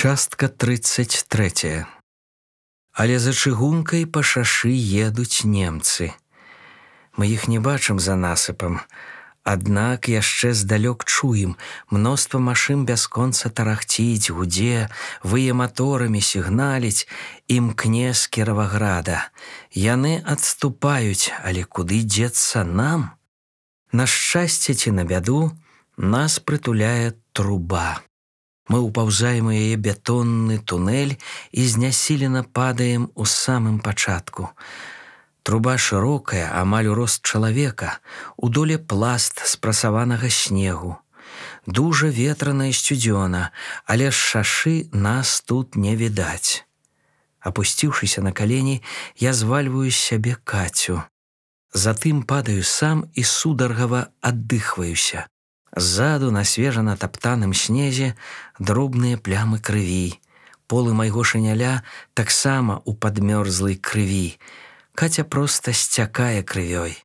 Частка 33. Але за чыгункай па шашы едуць немцы. Мы іх не бачым за насыпам, аднак яшчэ здалёк чуем, мноства машын бясконца тарахціць, гудзе, вые маторамі сігналіць, імкне з Кіраваграда. Яны адступаюць, але куды дзецца нам? На шчасце ці на бяду нас прытуляе труба. Мы ўпаўзаем у яе бетонны тунэль і знясілена падаем у самым пачатку. Труба шырокая, амаль у рост чалавека, у доле пласт спрасаванага снегу. Дужа ветрана і сцюдзёна, але з шашы нас тут не відаць. Апусціўшыся на калені, я звальваю з сябе Кацю. Затым падаю сам і сударгава аддыхваюся. Ззаду на свежа натаптаным снезе дробныя плямы крыві. Полы майго шыняля таксама ў падмёрзлай крыві. Каця проста сцякае крывёй.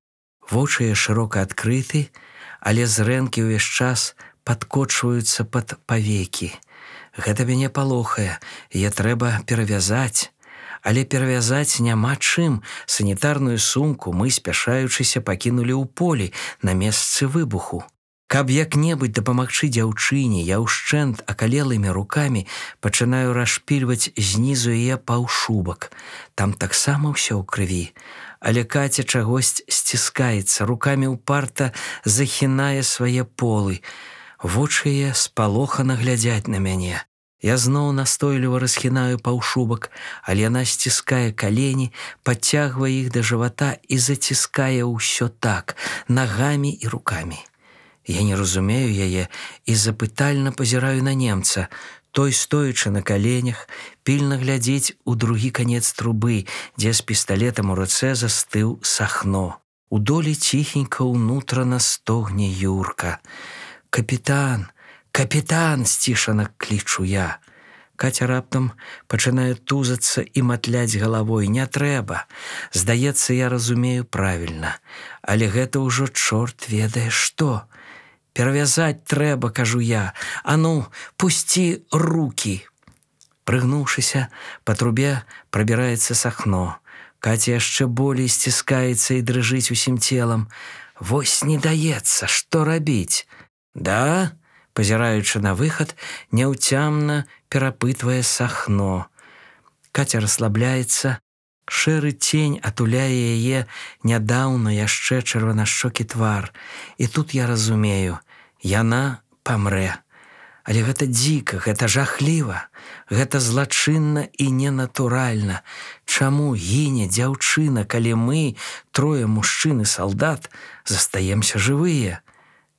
Вочы яе шырока адкрыты, але зрэнкі ўвесь час падкочваюцца пад павекі. Гэта мяне палохае, яе трэба перавязаць. Але перавязаць няма чым. Санітарную сумку мы, спяшаючыся, пакінулі ў полі на месцы выбуху. Каб як-небудзь дапамагчы дзяўчыне, я ўшчэнт акалелымі рукамі пачынаю расшпільваць знізу яе паўшубак. Там таксама ўсё ў крыві. Але Каця чагось сціскаецца, рукамі ўпарта захінае свае полы. Вочы яе спалохана глядзяць на мяне. Я зноў настойліва расхінаю паўшубак, але яна сціскае калені, падцягвае іх да жывата і заціскае ўсё так, нагамі і рукамі. Я не разумею яе і запытальна пазіраю на немца. Той, стоячы на каленях, пільна глядзіць у другі канец трубы, дзе з пісталетам у руцэ застыў Сахно. У долі ціхенька ўнутрана стогне Юрка. «Капітан! Капітан!» сцішана клічу я. Каця раптам пачынае тузацца і матляць галавой. Не трэба. Здаецца, я разумею правільна. Але гэта ўжо чорт ведае што. «Перавязаць трэба», кажу я. «А ну, пусці рукі!» Прыгнуўшыся, па трубе прабіраецца Сахно. Каця яшчэ болей сціскаецца і дрыжыць усім целам. Вось не даецца, што рабіць? «Да?» Пазіраючы на выхад, няўцямна перапытвае Сахно. Каця расслабляецца. Шэры цень атуляе яе нядаўна яшчэ чырванашчокі твар. І тут я разумею, яна памрэ. Але гэта дзіка, гэта жахліва, гэта злачынна і ненатуральна. Чаму гіне дзяўчына, калі мы, трое мужчын і салдат, застаемся жывыя?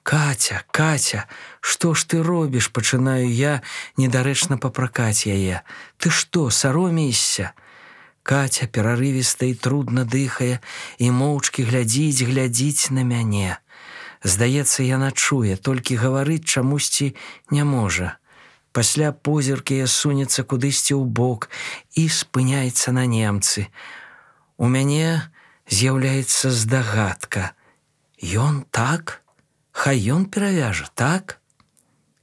«Каця, Каця, што ж ты робіш?» Пачынаю я недарэчна папракаць яе. «Ты што, саромеешся?» Каця перарывіста і трудна дыхае і моўчкі глядзіць на мяне. Здаецца, яна чуе, толькі гаварыць чамусьці не можа. Пасля позірк яе сунецца кудысьці ў бок і спыняецца на немцы. У мяне з'яўляецца здагадка. Ён так? Хай ён перавяжа, так?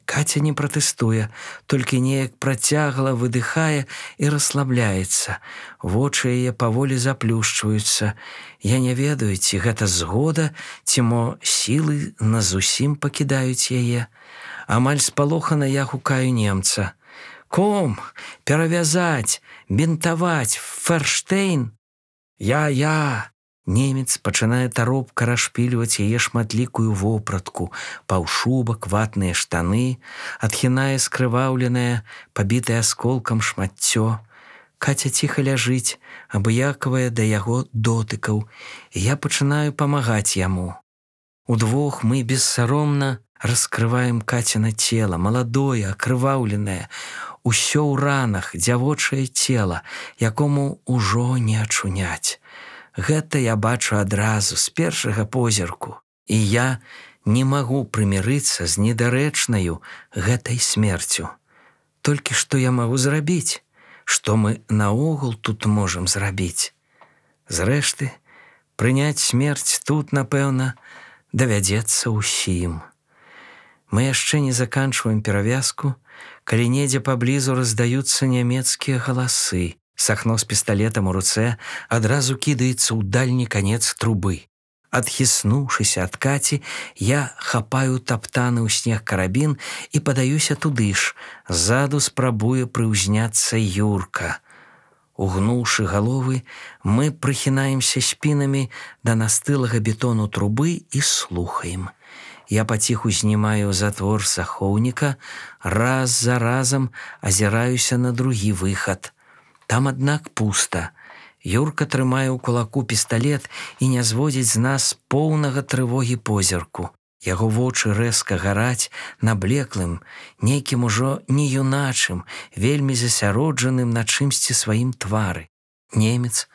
Каця не пратэстуе, толькі неяк працягла выдыхае і расслабляецца. Вочы яе паволі заплюшчваюцца. Я не ведаю, ці гэта згода, ці мо сілы назусім пакідаюць яе. Амаль спалохана я гукаю немца. «Ком, перавязаць, бінтаваць, Ферштейн!» «Я!» Немец пачынае таропка расшпільваць яе шматлікую вопратку, паўшубак, ватныя штаны, адхінае скрываўленае, пабітае асколкам шмаццё. Каця ціха ляжыць, абыякавая да яго дотыкаў, і я пачынаю памагаць яму. Удвох мы бессаромна раскрываем Кацяна цела, маладое, акрываўленае, усё ў ранах, дзявочае цела, якому ўжо не ачуняць. Гэта я бачу адразу, з першага позірку. І я не магу прымірыцца з недарэчнаю гэтай смерцю. Толькі што я магу зрабіць? Што мы наогул тут можам зрабіць? Зрэшты, прыняць смерць тут, напэўна, давядзецца ўсім. Мы яшчэ не заканчваем перавязку, калі недзе паблізу раздаюцца нямецкія галасы. Сахно з пісталетам у руцэ адразу кідаецца ў дальні канец трубы. Адхіснуўшыся ад Каці, я хапаю таптаны ў снег карабін і падаюся туды ж. Ззаду спрабуе прыўзняцца Юрка. Угнуўшы галовы, мы прыхінаемся спінамі да настылага бетону трубы і слухаем. Я паціху знімаю затвор захоўніка, раз за разам азіраюся на другі выхад. Там, аднак, пуста. Юрка трымае ў кулаку пісталет і не зводзіць з нас поўнага трывогі позірку. Яго вочы рэзка гараць на блеклым, нейкім ужо не юначым, вельмі засяроджаным на чымсьці сваім твары. Немец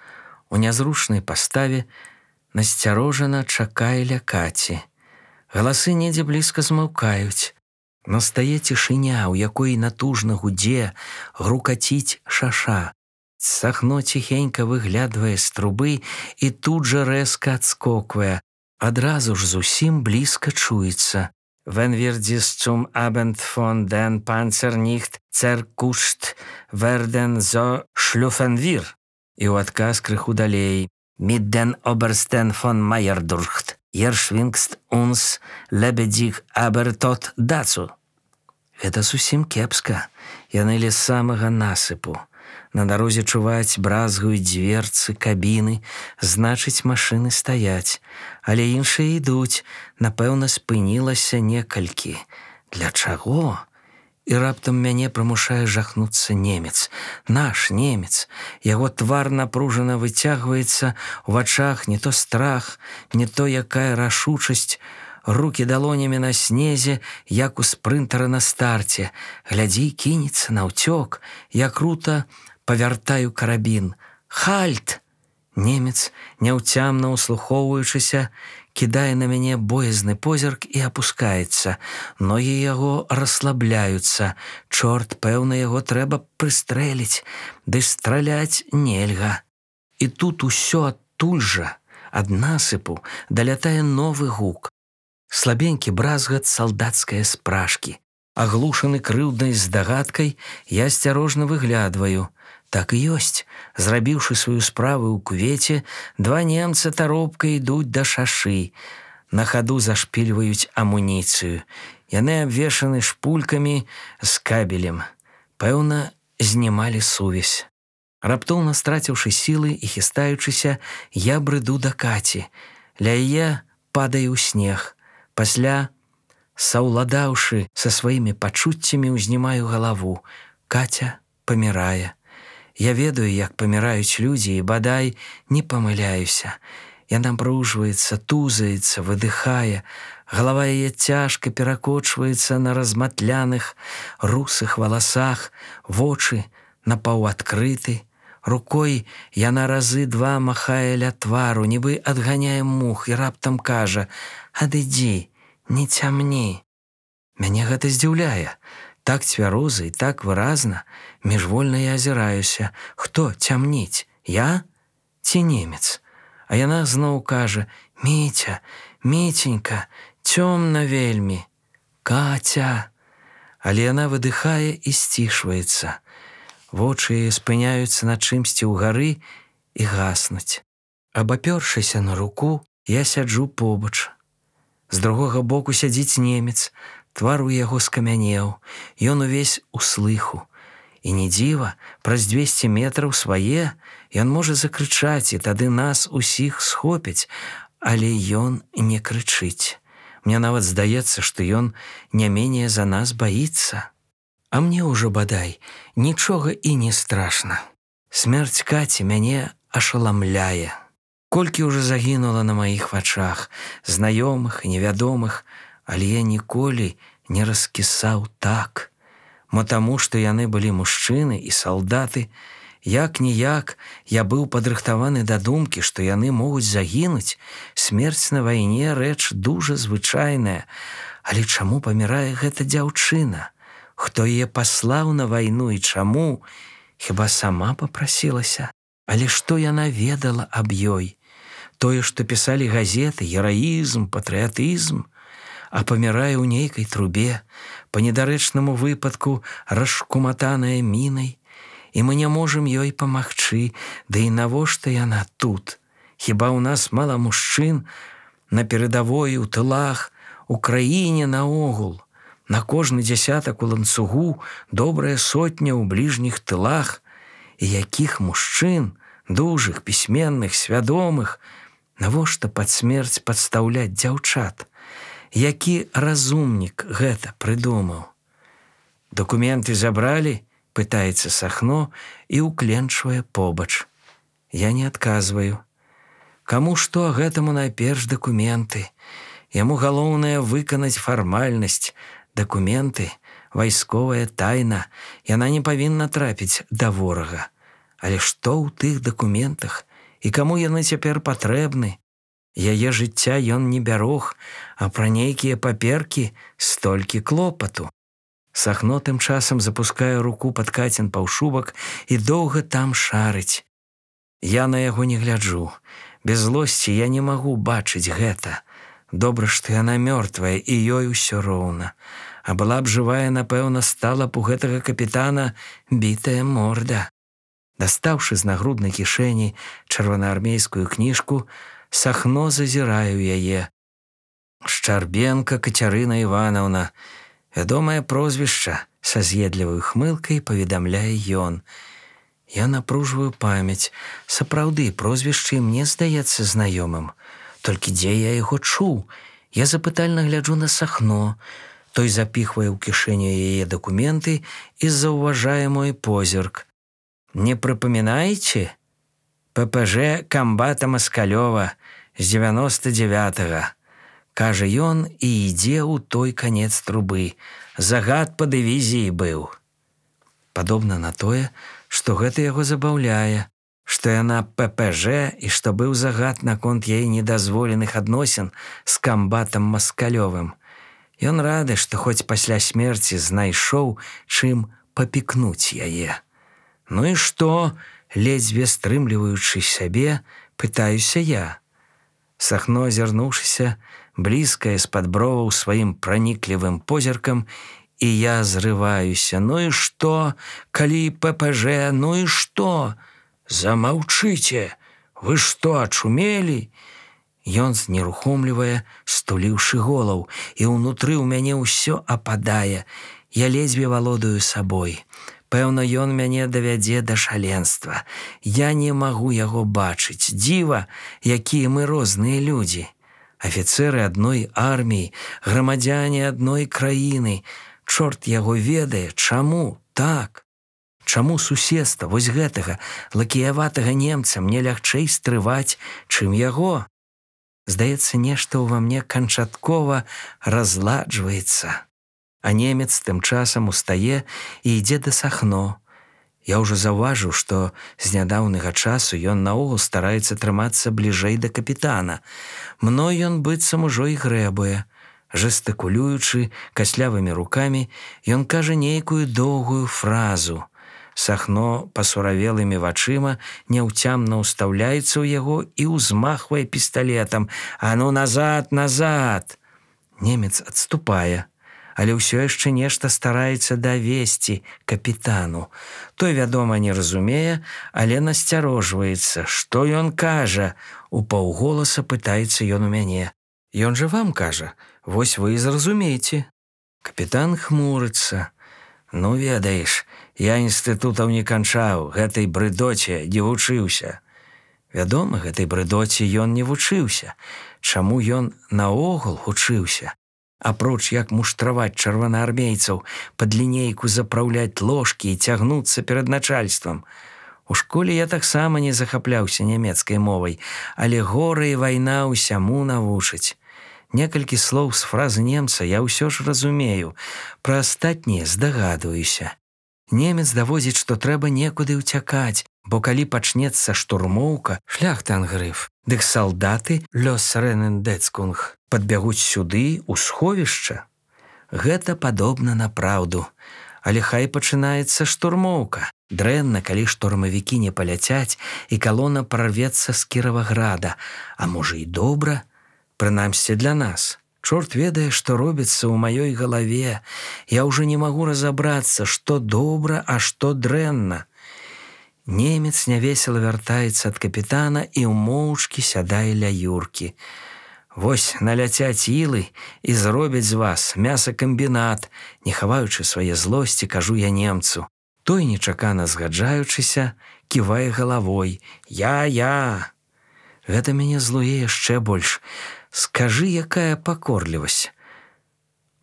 у нязручнай паставе насцярожана чакае ля Каці. Галасы недзе блізка змаўкаюць. Настае цішыня, у якой натужна гудзе, грукаціць шаша. Сахно ціхенька выглядвае з трубы і тут жа рэзка адскоквае. Адразу ж зусім блізка чуецца. «Wenn wir dies zum Abend von den Panzer nicht zerkuscht werden, so schlüpfen wir». І ў адказ крыху далей. «Mit den Obersten von Meyerdurcht. Ihr schwingst uns lebendig, aber tot dazu». Гэта зусім кепска. Яны ля самага насыпу. На дарозе чуваць бразгаюць дверцы, кабіны, значыць, машыны стаяць. Але іншыя ідуць, напэўна, спынілася некалькі. Для чаго? І раптам мяне прымушае жахнуцца немец. Наш немец. Яго твар напружана выцягваецца, у вачах не то страх, не то якая рашучасць. Рукі далонямі на снезе, як у спрынтара на старце. Глядзі, кінецца наўцёк. Я крута павяртаю карабін. «Хальт!» Немец, няўцямна ўслухоўваючыся, кідае на мяне боязны позірк і апускаецца. Ногі яго расслабляюцца. Чорт, пэўна, яго трэба прыстрэліць. Ды страляць нельга. І тут усё адтуль жа, ад насыпу, далятае новы гук. Слабенькі бразгат салдацкае спражкі. Аглушаны крыўднай здагадкай, я асцярожна выглядваю. Так і ёсць. Зрабіўшы сваю справу ў кювеце, два немца таропка ідуць да шашы. На хаду зашпільваюць амуніцыю. Яны абвешаны шпулькамі з кабелем. Пэўна, знімалі сувязь. Раптоўна страціўшы сілы і хістаючыся, я брыду да Каці. Ля яе падаю ў снег. Пасля, саўладаўшы са сваімі пачуццямі, узнімаю галаву. Каця памірае. Я ведаю, як паміраюць людзі, і бадай не памыляюся. Яна напружваецца, тузаецца, выдыхае. Галава яе цяжка перакочваецца на разматляных, русых валасах, вочы напаўадкрыты. Рукой яна разы два махае ля твару, нібы адганяе мух, і раптам кажа: «Адыдзі, не цямні». Мяне гэта здзіўляе. Так цвяроза і так выразна. Міжвольна я азіраюся. Хто цямніць? Я ці немец? А яна зноў кажа: «Міця, Міценька, цёмна вельмі». «Каця». Але яна выдыхае і сцішваецца. Вочы спыняюцца на чымсьці ўгары і гаснуць. Абапёршыся на руку, я сяджу побач. З другога боку сядзіць немец. Твар у яго скамянеў. Ён увесь у слыху. І не дзіва, праз 200 метраў свае ён можа закрычаць, і тады нас усіх схопяць. Але ён не крычыць. Мне нават здаецца, што ён не менее за нас баіцца. А мне ўжо, бадай, нічога і не страшна. Смерць Каці мяне ашаламляе. Колькі ўжо загінула на маіх вачах, знаёмых і невядомых, але я ніколі не раскісаў так. Мо таму, што яны былі мужчыны і салдаты, як-ніяк я быў падрыхтаваны да думкі, што яны могуць загінуць. Смерць на вайне рэч дужа звычайная. Але чаму памірае гэта дзяўчына? Хто яе паслаў на вайну і чаму? Хіба сама папрасілася? Але што яна ведала аб ёй? Тое, што пісалі газеты, гераізм, патрыятызм. а памірае ў нейкай трубе, па недарэчнаму выпадку расшкуматаная мінай, і мы не можам ёй памагчы, ды і навошта яна тут? Хіба ў нас мала мужчын на перадавой, у тылах, у краіне наогул? На кожны дзясятак у ланцугу добрая сотня ў бліжніх тылах. І якіх мужчын, дужых, пісьменных, свядомых, навошта пад смерць падстаўляць дзяўчат? Які разумнік гэта прыдумаў? Дакументы забралі? Пытаецца Сахно і ўкленчвае побач. Я не адказваю. Каму што, гэтаму найперш дакументы. Яму галоўнае выканаць фармальнасць. Дакументы, вайсковая тайна, яна не павінна трапіць да ворага. Але што ў тых дакументах? І каму яны цяпер патрэбны? Яе жыцця ён не бярог, а пра нейкія паперкі столькі клопату. Сахно тым часам запускае руку пад Кацін паўшубак і доўга там шарыць. Я на яго не гляджу. Без злосці я не магу бачыць гэта. Добра, што яна мёртвая, і ёй усё роўна. А была б жывая, напэўна, стала б у гэтага капітана бітая морда. Дастаўшы з нагруднай кішэні чырвонаармейскую кніжку, Сахно зазірае ў яе. Шчарбенка Кацярына Іванаўна. Вядомае прозвішча, са з'едлівай хмылкай паведамляе ён. Я напружваю памяць. Сапраўды, прозвішча мне здаецца знаёмым. Толькі дзе я яго чуў? Я запытальна гляджу на Сахно. Той запіхвае ў кішэню яе дакументы і заўважае мой позірк. Не прыпамінаеце? ППЖ камбата Маскалёва з 99-го. Кажа ён і ідзе ў той канец трубы. Загад па дывізіі быў. Падобна на тое, што гэта яго забаўляе, што яна ППЖ і што быў загад наконт яе недазволеных адносін з камбатам Маскалёвым. Ён рады, што хоць пасля смерці знайшоў, чым папікнуць яе. Ну і што, ледзьве стрымліваючы сябе, пытаюся я. Сахно, азірнуўшыся, блізкае з-пад броваў сваім праніклівым позіркам, і я зрываюся. Ну і што, калі ППЖ, ну і што? Замаўчыце! Вы што, ачумелі? Ён знерухомлівае, стуліўшы голаў, і ўнутры ў мяне ўсё ападае. Я ледзьве валодаю сабой. Пэўна, ён мяне давядзе да шаленства. Я не магу яго бачыць. Дзіва, якія мы розныя людзі. Афіцэры адной арміі, грамадзяне адной краіны. Чорт яго ведае, чаму так? Чаму суседства вось гэтага лакіяватага немца мне лягчэй стрываць, чым яго? Здаецца, нешта ўва мне канчаткова разладжваецца. А немец тым часам устае і ідзе да Сахно. Я ўжо заўважыў, што з нядаўнага часу ён наогул стараецца трымацца бліжэй да капітана. Мной ён быццам ужо і грэбуе. Жестыкулюючы каслявымі рукамі, ён кажа нейкую доўгую фразу. Сахно пасуравелымі вачыма няўцямна ўстаўляецца ў яго і ўзмахвае пісталетам. «А ну назад, назад!» Немец адступае, але ўсё яшчэ нешта стараецца давесці капітану. Той, вядома, не разумее, але насцярожваецца. Што ён кажа? Упаўголаса пытаецца ён у мяне. Ён жа вам кажа, вось вы і зразумееце. Капітан хмурыцца. Ну, ведаеш, я інстытутаў не канчаў, гэтай брыдоце не вучыўся. Вядома, гэтай брыдоце ён не вучыўся. Чаму ён наогул вучыўся? Апроч як муштраваць чырвонаармейцаў, пад лінейку запраўляць ложкі і цягнуцца перад начальствам. У школе я таксама не захапляўся нямецкай мовай, але гора і вайна ўсяму навучыць. Некалькі слоў з фразы немца я ўсё ж разумею, пра астатнія здагадваюся. Немец даводзіць, што трэба некуды ўцякаць, бо калі пачнецца штурмоўка, шляхтангрыф, дык салдаты Лёс-Ренендецкунг падбягуць сюды, у сховішча. Гэта падобна на праўду. Але хай пачынаецца штурмоўка. Дрэнна, калі штурмавікі не паляцяць і калона прарвецца з Кіраваграда. А можа і добра? Прынамсі для нас. Чорт ведае, што робіцца ў маёй галаве. Я ўжо не магу разабрацца, што добра, а што дрэнна. Немец нявесела вяртаецца ад капітана і ўмоўчкі сядае ля Юркі. Вось наляцяць ілы і зробяць з вас мясакамбінат, не хаваючы свае злосці, кажу я немцу. Той, нечакана згаджаючыся, ківае галавой. Я. Гэта мяне злуе яшчэ больш. Скажы, якая пакорлівасць.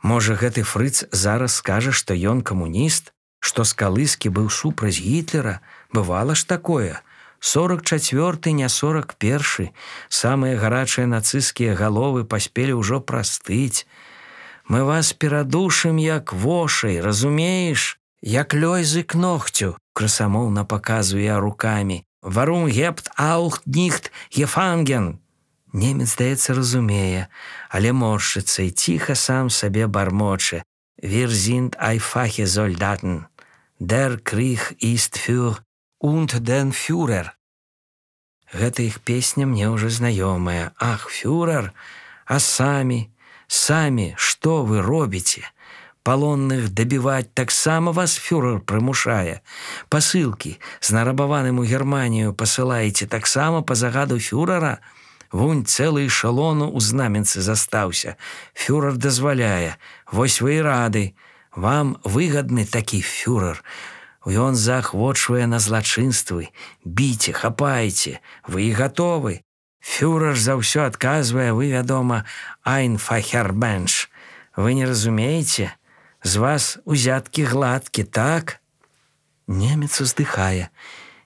Можа, гэты фрыц зараз скажа, што ён камуніст, што Скалыскі быў супраць Гітлера. Бывала ж такое. 44-й, не 41-й. Самыя гарачыя нацысцкія галовы паспелі ўжо прастыць. Мы вас перадушым, як вошай, разумееш? Як лёйзы к ногцю, красамоўна паказваю я рукамі. Варум гепт аух ніхт гефанген. Немец, здаецца, разумее, але моршчыцца і ціха сам сабе бармоче. Wir sind einfache Soldaten. Der Krieg ist für und den Führer. Гэта іх песня мне ўжо знаёмая. Ах, фюрер, а самі, што вы робіце? Палонных дабіваць таксама вас фюрер прымушае. Пасылкі з нарабаваным у Германію пасылаеце таксама па загаду фюрера? Вунь цэлы эшалону ў знаменцы застаўся. Фюрер дазваляе. Вось вы і рады. Вам выгадны такі фюрер. Ён заахвочвае на злачынствы. Біце, хапайце. Вы і гатовы. Фюрер за ўсё адказвае, вы, вядома, айнфахербенш. Вы не разумееце? З вас узяткі гладкі, так? Немец уздыхае.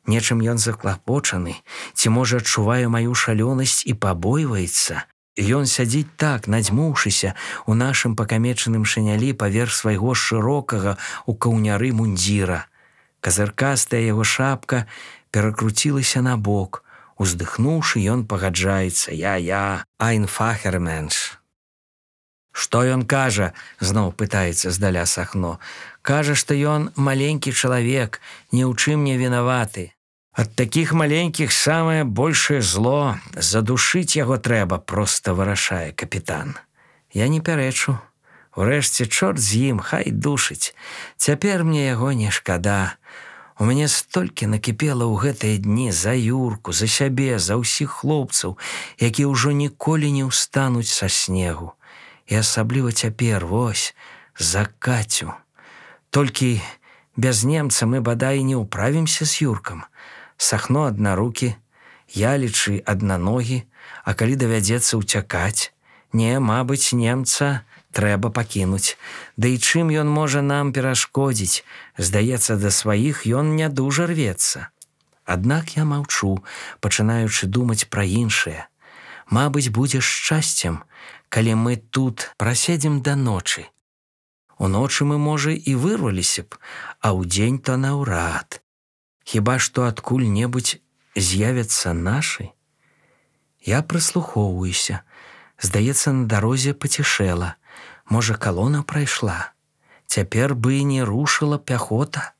Нечым ён заклапочаны, ці, можа, адчувае маю шалёнасць і пабойваецца. Ён сядзіць так, надзьмуўшыся, у нашым пакамечаным шынялі паверх свайго шырокага у каўняры мундзіра. Казыркастая яго шапка перакруцілася на бок. Уздыхнуўшы, ён пагаджаецца. Я, айнфахерменш. Што ён кажа? Зноў пытаецца здаля Сахно. Кажа, што ён маленькі чалавек, ні ў чым не вінаваты. Ад такіх маленькіх самае большае зло. Задушыць яго трэба, проста вырашае капітан. Я не пярэчу. Урэшце, чорт з ім, хай душыць. Цяпер мне яго не шкада. У мяне столькі накіпела ў гэтыя дні за Юрку, за сябе, за ўсіх хлопцаў, якія ўжо ніколі не ўстануць са снегу. І асабліва цяпер, вось, за Кацю. Толькі без немца мы бадай не ўправімся з Юркам. Сахно аднарукі, я, лічы, аднаногі, а калі давядзецца ўцякаць, не, мабыць, немца трэба пакінуць. Да і чым ён можа нам перашкодзіць? Здаецца, да сваіх ён не дужа рвецца. Аднак я маўчу, пачынаючы думаць пра іншае. Мабыць, будзе шчасцем, калі мы тут праседзім да ночы. Уночы мы, можа, і вырваліся б, а ўдзень то наўрад. Хіба што адкуль-небудзь з'явяцца нашы? Я прыслухоўваюся. Здаецца, на дарозе пацішэла. Можа, калона прайшла. Цяпер бы не рушыла пяхота.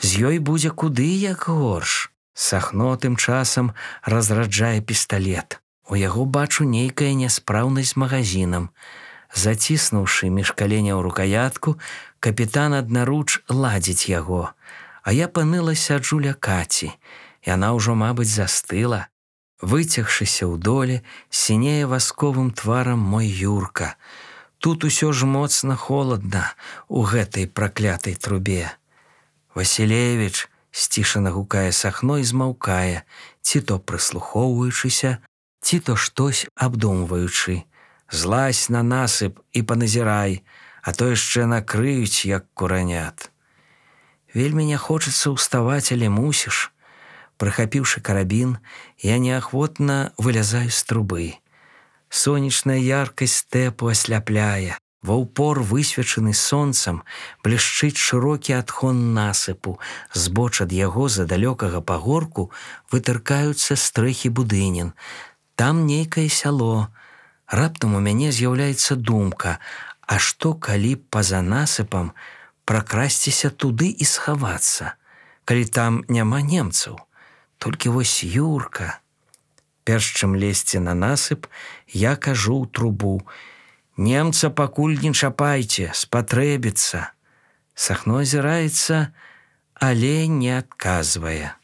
З ёй будзе куды як горш. Сахно тым часам разраджае пісталет. У яго бачу нейкая няспраўнасць з магазінам. Заціснуўшы між каленяў рукаятку, капітан аднаруч ладзіць яго. А я паныла сяджу ля Каці. Яна ўжо, мабыць, застыла. Выцягшыся ў доле, сінее васковым тварам мой Юрка. Тут усё ж моцна холадна у гэтай праклятай трубе. Васілевіч, сцішана гукае Сахно і змаўкае, ці то прыслухоўваючыся, ці то штось абдумваючы. Злазь на насып і паназірай, а то яшчэ накрыюць, як куранят. Вельмі не хочацца ўставаць, але мусіш. Прыхапіўшы карабін, я неахвотна вылязаю з трубы. Сонечная яркасць стэпу асляпляе. Ва ўпор, высвечаны сонцам, блішчыць шырокі адхон насыпу. Збоч ад яго, за далёкага пагорку, вытыркаюцца стрэхі будынін. Там нейкае сяло. Раптам у мяне з'яўляецца думка, а што, калі па-за насыпам пракрасціся туды і схавацца, калі там няма немцаў? Толькі вось Юрка. Перш чым лезці на насып, я кажу ў трубу: Немца пакуль не чапайце, спатрэбіцца. Сахно азіраецца, але не адказвае.